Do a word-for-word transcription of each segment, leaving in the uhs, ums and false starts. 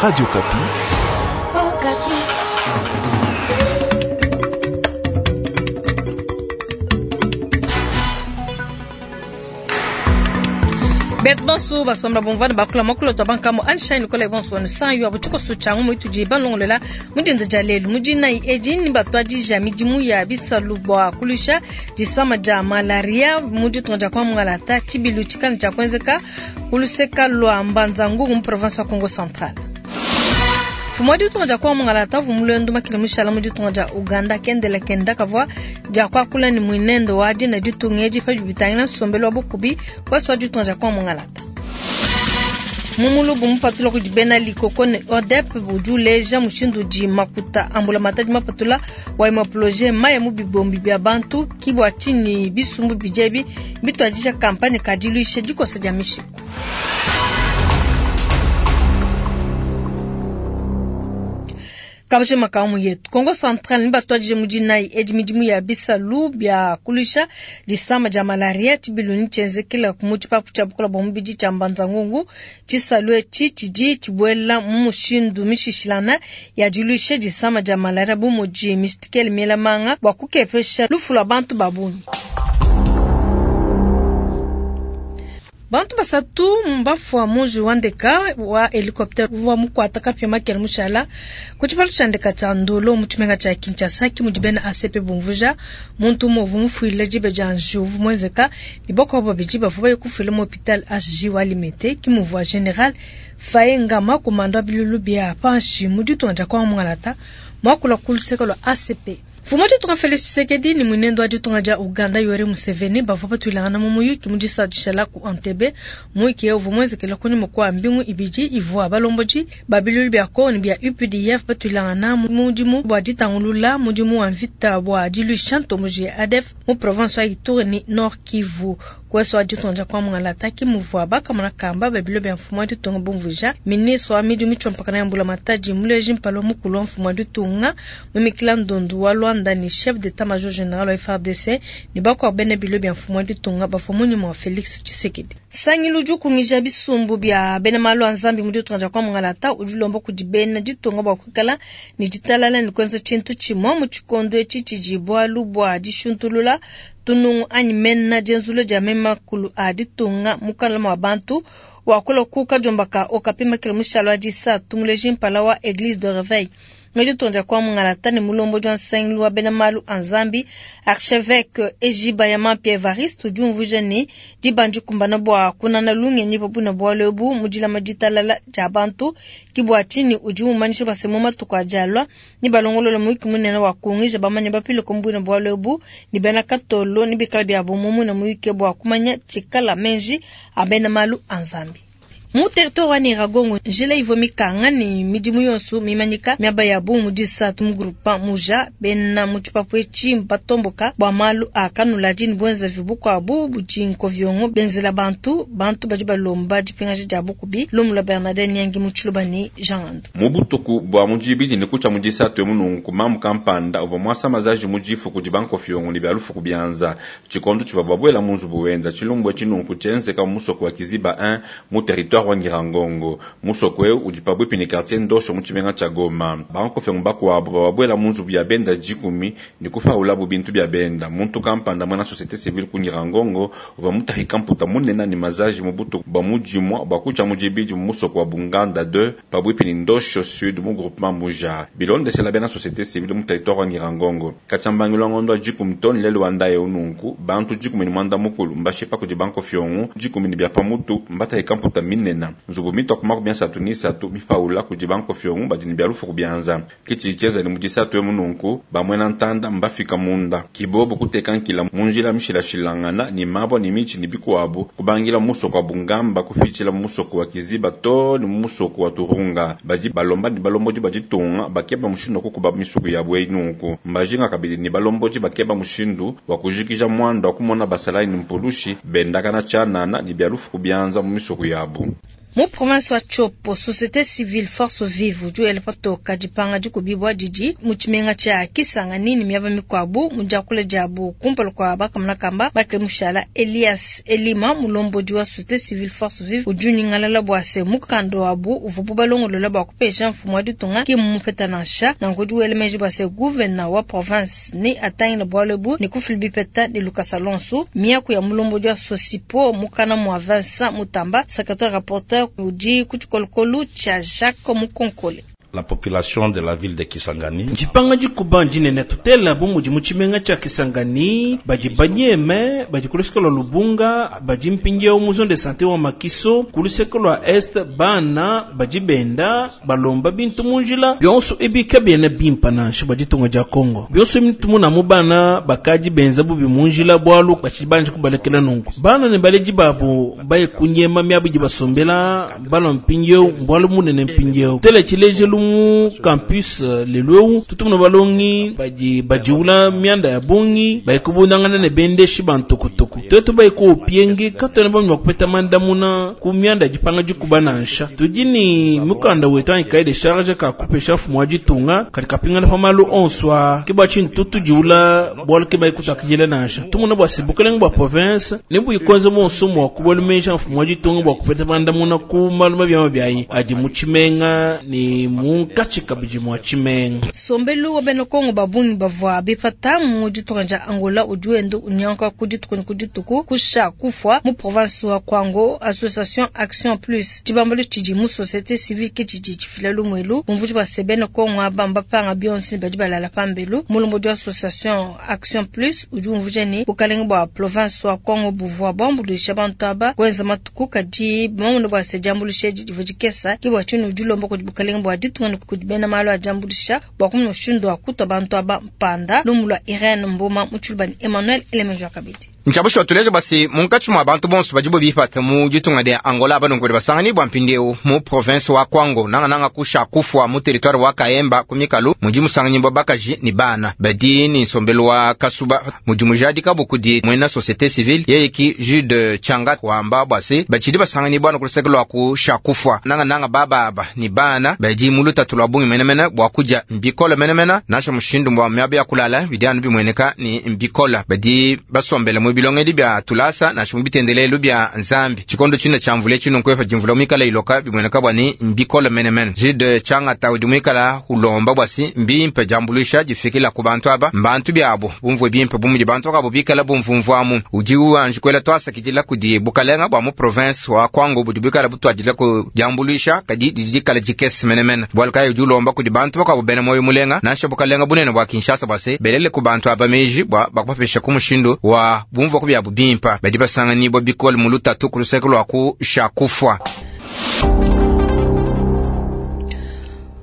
Radio Okapi. Betu bonso basomba bumvana bakula makulu twa bankamo Einstein kola bonso wanu sanyu abutuko suchangu muitudi balongolela mudinda dia lelu mudina edi ni batwadija midimu ya bisalu bwa kulusha disama dia malaria muditunga dia kwa mungalata tshibilu tshikana tshia kuenzeka kuluseka lwa Mbanza-Ngungu mu province wa Kongo Central. Mfumu wa ditunga dia kwa mungalata uvua mulendo makile mushala mu ditunga dia Uganda kendela kenda kavua dia kuakula ni muinendo wa dina ditunga edi pa bitangila nsombelu wa bukubi kwasi wa ditunga dia kwa mungalata. Mumulubu mupatula kudi bena likoko ne O D E P udi uleja mushindu udi makuta ambula matadi mapatula wa imapoloje maya mu bibombi bia bantu kibwa chini bisumbu bijebi bitwadija kampanye kadiluisha dikosa dia mishiku. Kabashe makamu yetu Kongo Central ni batwadije mudinai edi midimu ya bisalu bia kulusha disama dia malaria tshibilu tshienzekela ku tshipapu tshia bukola bwa mubidi tshia Mbanza-Ngungu tshisalu etshi tshidi tshibuela mu mushindu mishishilana ya diluisha disama dia malaria bu mudi mistikele miela manga bua kukepesha lufu lua bantu ba bungi. Bantu basatu mbafua muji wa ndeka wa helicopter wa mukwata kapya makela mushala ku tshipalu tshia ndeka tshia Ndolo mu tshimenga tshia Kinshasa ki mudi bena A C P bumvuja muntu umue uvua mufuile dibe dia njiwu uvua muenzeka ne bakuabu babidi bavua baye kufuila mu hôpital H J wa Limete ki muvua General Faye Ngama komanda wa bilulu bia panshi mu ditunga dia kwa Mungalata muakula ku luseke lua A C P. Mfumu wa ditunga Felix Tshisekedi ni mwenendo wa ditunga dia Uganda Yoweri Museveni bavua batuilangana mu muyuki mu disadisha ku Entebbe muyuki uvua muenzekela kunyima kua mbingu ibidi ivua balombodi ba bilulu bia Kongo ne bia U P D F batuilangana mu mudimu bua ditangulula mudimu wa mvita bua diluisha ntomboji ya A D F mu province wa Ituri ne Nord Kivu. Kweso wa ditunga dia kwa Mungalata ki muvua bakamona kamba ba bilulu bia mfumu wa ditunga bumvuja ministre wa midimu mitshompakana ya mbula matadi muleji mpalo mukulu wa mfumu wa ditunga mumikila ndondu wa Luanda ni chef d'état-major général wa F R D C ni bakwa bene bilo bia mfumu wa ditunga bafua munyuma wa Felix Tshisekedi. Sangilu jukungija bisumbu bia bena malu a Nzambi mu ditunga dia kwa Mungalata udi ulomba kudi bena ditunga bua kuikala ni ditalala ni kuenza tshintu tshimue mu tshikondo etshi tshidi bualu bua dishuntulula tunungu anyi mena dienzula dia memakulu a ditunga mukala mwa bantu wakula kuka jombaka okapima kila mushalo wa disatu muleji mpala wa Église de Réveil. Ngadi tonja kwa Mungalata ni mulombo jwa nsangilu wa bena malu a Nzambi archevêque Ejiba ya Mapia Evariste udi umvuija ne dibandi kumbana bua kunana lungenyi pabuna bualu ebu mu dilama ditalala dia bantu ki bua tshinyi udi umanyisha base mu matuku a dialua ni balongolola muyuki munene wa kungija bamanya bapile kumbuna bualu ebu ni bena katolo ni bikala bia bomu muna muyuki bua kumanya tshikala menji a bena malu a Nzambi. Mu territoire wa Nyiragongo, njila ivua mikanga ni midimu yonso mimanyika miaba ya bu mu disatu mu groupement muja bena mu tshipapu etshi batomboka bua malu a kanuladi ni buenzavi bukuabu budi nkoviongo benzela bantu bantu badi balomba dipingaja dia bukubi lumu lua Bernadette Nyangi mu Tshiluba ni Jean Ando. Mu butuku bua mu dibidi ne kutshia mu disatu emu nunku mamu kampanda uvua muasa mazaji mu difu kudi bankoviongo ne bia lufu bianza tshikondo tshivua babuela mu nzubu wenza tshilumbu etshi nunku tshienzeka mu musoko wa Kiziba un mu territoire wa Nyirangongo musoko eu udi pabuipi ne quartier Ndosho mu tshimenga tshia Goma. Bankoviongo bakuabu bababuela mu nzubu ya benda dikumi ne kufaulabu bintu bia benda. Muntu kampanda mwana société civile ku Nyirangongo uvua mutahika mputa munene ne mazaji mu butuku bua mu dimua bua kutshia mu dibidi mu musoko wa Bunganda deux pabuipi ne Ndosho Sud mu groupement Muja. Bilondeshela bena société civile mu territoire wa Nyirangongo. Katshambangilo wa ngondo wa dikumi toni lelu wa ndaye ununku bantu dikumi ne mwanda mukulu mbashipa kudi bankoviongo dikumi ne bia pamutu mbatahika mputa minene. Nzubu mitwa kuma kubia satu ni satu mifaula kudi bankoviongo badi ne bia lufu kubianza. Kitshi cheza ni mudisatu emu nunku bamwena ntanda mbafika munda kibobo kuteka nkila munjila mishilashilangana ni mabwa ni michi ni bikuabu kubangila musoko wa Bungamba kufichila musoko wa Kiziba to ni musoko wa Turunga badi balomba ni balomboji bajitunga bakeba mushindu kukuba misuku ya bwe nunku mbajinga kabili ni balomboji bakeba mushindu wa kujikija mwando wa kumona basalai ni mpulushi bendakana chanana ni bia lufu kubianza mu misuku yabu. Mu province wa Tshopo, société civile Force Vive udi wela patoka dipanga dikubibua didi mu tshimenga tshia Kisangani ne miaba mikuabu mu diakula diabu kumpala kua bakamonakamba Michael Mushala Elias Elima mulombodi wa société civile Force Vive udi unyingalala bua se mukanda wabu uvuabu balongolola bua kupesha mfumu wa ditunga ki mmupeta nansha nanku udi wela meji bua se gouverneur wa province ne atangila bualu ebu ne kufila bipeta ne lukasa lonso. Miaku ya mulombodi wa Sosipo mukana mua Vincent Mutamba, secrétaire rapporteur udi ku tshikolokolo tshia Jacques Mukonkole. La population de la ville de Kisangani. Dipanga dikuba ndinene tutela bu mudi mu tshimenga tshia Kisangani badi banyeme badi ku luseke lua Lubunga badi mpindieu mu zone de santé wa Makiso ku luseke lua est bana badi benda balomba bintu mu njila bionso ebi kabiena bimpa nansha bua ditunga dia Congo bionso ebi tumuna mu bana bakadi benza bubi mu njila bualu batshidi banji kubalekela nunku bana ne baledi babu baye kunyema miabu idi basombela balua mpindieu mbualu munene mpindieu tela tshilejelu mu campus lelu eu tutumuna balongi badi badiula mianda ya bungi bayikubundangana ne bendeshi bantukutuku twetu bayikuupienge katwena bambi bakupeta mandamuna ku mianda ya dipanga dikuba nansha tudi ni mukanda wetu anyi cahier de charge kakupesha mfumu wa ditunga kadi kapingana pa malu onso a ke bua tshintu tudiula bualu ke bayikutuakidila nansha tumuna bua se bukelenge bua province ne buyikonza monso mua kubalumeja mfumu wa ditunga bua kupeta mandamuna ku malu mabi mabi adi mu tshimenga ne munkatshi kabidi mua tshimenga. Sombelu wa bena Kongo babungi bavua bipata mu ditunga dia Angola udi wenda unyanguka ku dituku ne ku dituku kusha kufwa mu province wa Kwango. Association Action Plus tshibambalu tshidi mu société civile ke tshidi tshifila lumuelu bumvuji bua se bena Kongo aba mbapanga bionso ne badi balala pambelu. Mulombodi wa association Action Plus udi umvuija ne bukalenge bua province wa Kwango buvua buambuluisha bantu aba kuenza matuku kadi bamona bua se diambuluisha edi divua dikesa ke bua tshinyi udi ulomba kudi bukalenge bua ditunga ne kudi bena malu a diambuluisha bua kumona mushindu wa kutua bantu aba mpanda. Lumu lua Irene Mboma mu tshiluba ne Emmanuel Elemenjo kabidi. Ntshabusha tuleja basi munkatshi mua bantu bonso badibo bipata mu ditunga dia Angola banongo basangani bua mpindieu mu province wa Kwango nangananga kusha kufwa mu territoire wa Kaemba ku mikalu mudi musanganyi bua bakaji ni bana badi ni nsombelu wa kasuba mudi mujadika bukudi mwena société civile yeye ki Jude Changa wamba bwase bachidi basangani bwana kuluseke lwa kusha kufwa nangananga bababa ni bana badi mu lutatu lwa bungi menemene bua kudia mbikola menemene nasha mushindu mbwa miaba ya kulala bidianu bimweneka ni mbikola badi basombele mu bilongedi bya tulasa nasha mu bitendelelu bya nzambi chikondo chino cha mvula chino nkwefa jimvula mwikala iloka bimweneka bwa ni mbikola menemene Jude Changa taudi mwikala ulomba bwasi mbimpe jambuluisha jifikila ku bantu aba mbantu byabo bumvwe bimpe bumudi bantu akabo bikala bumvumvwamu udi uanji kwela twasakidila kudi bukalenga bwa mu province wa Kwango budi bikala butwadila ku jambuluisha kadi didikala jikesi menemene bwalu kayi udi ulomba kudi bantu bakabo bena moyo mulenga nasha bukalenga bunene bwa Kinshasa bwase belele ku bantu aba meji bwa bakupapesha ku mushindu wa bumvwa ku byabu bimpa badi basangani bwa bikole mu lutatu ku luseke lwa ku shakufwa.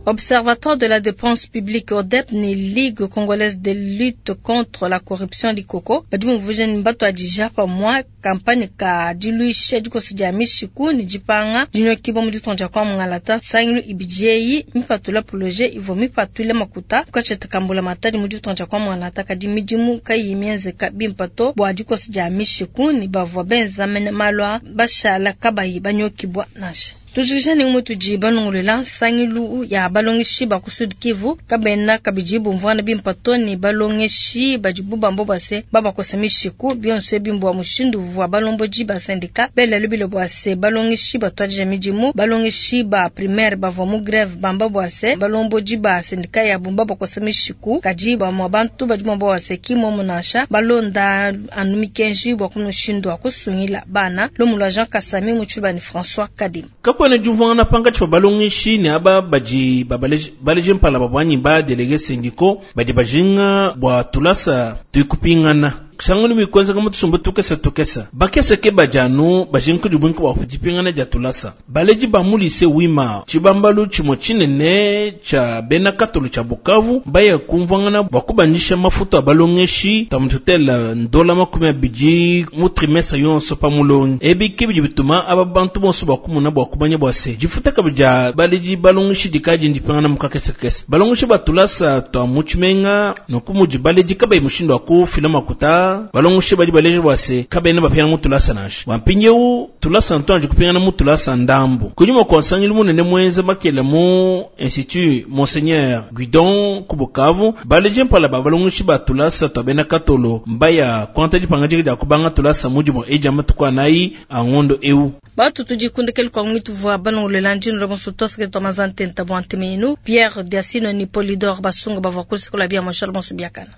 Observatoire de la dépense publique O D E P ni Ligue congolaise de lutte contre la corruption Likoko badi muvuje ni batu adija pa mwa campagne ka diluisha dikosi dia mishiku ni dipanga dinyokibo mu ditonja kwa mungalata sangilu ibijei mipatula projet ivo mipatule makuta kukacheta kambula matadi mu ditonja kwa mungalata kadi midimu kayi mienzeka bimpato bua dikosi dia mishiku ni bavua benza mene malwa bashala kabayi banyokibwa nasha. Tujikisha ni mutu banungulela sangilu ya balongeshi ba ku Sud Kivu kabena kabidi bumvwana bimpato ni balongeshi badibu bambo base babakosa mishiku bionso bimbwa mushindu vwa balomboji ba syndicat bela lubilo bwase balongeshi batwadija midimu balongeshi ba primaire bavwa mu grève bamba bwase balomboji ba syndicat ya bumba bakosa mishiku kadi ba mwa bantu badimu bwase kimo munasha balonda anu mikenji bwa kumushindu akusungila bana lomulwa Jean Kasami muchuba ni François Kadim. Kapwana juvana panga chipa balongeshi ne aba baji babaleji baleji mpala babwanyi ba délégué syndicaux badi bajinga bwa tulasa tukupingana sangani mikwenza kama tusumba tukesa tukesa bakesa ke bajanu bajinga kujubunka bwa kujipingana ja tulasa baleji ba mulise wima chibambalu chimo chinene cha bena katolu cha Bukavu baya kumvangana bwa kubandisha mafuta abalongeshi tamututela ndola makumi abidi mu trimestre yonso pa mulongi ebi kibidi bituma aba bantu bonso bakumuna bwa kumanya bwa se jifuta kabija baleji balongeshi dikaji ndipingana mukakesa kesa balongeshi batulasa twa muchimenga nokumuji baleji kabayi mushindo akufila makuta tulasa, balongeshi badi baleja bua se kabena bapingana mu tulasa nansha. Bua mpindieu tulasa ntuanji kupingana mu tulasa ndambu. Kunyima kua nsangilu munene muenza makela mu Institut Monseigneur Guidon ku Bukavu, baleje mpala ba balongeshi ba tulasa tua bena Katolo mbaya kuanta dipangadika dia kubanga tulasa mudimu eja matuku anayi a ngondo eu. Batu tudikundekele kwa mwitu vua balongolela ndino la bonso twasake twa mazantenta bwa ntemenu Pierre Diasino ni Polidor Basunga bavua kusekola bia mashal bonso biakana.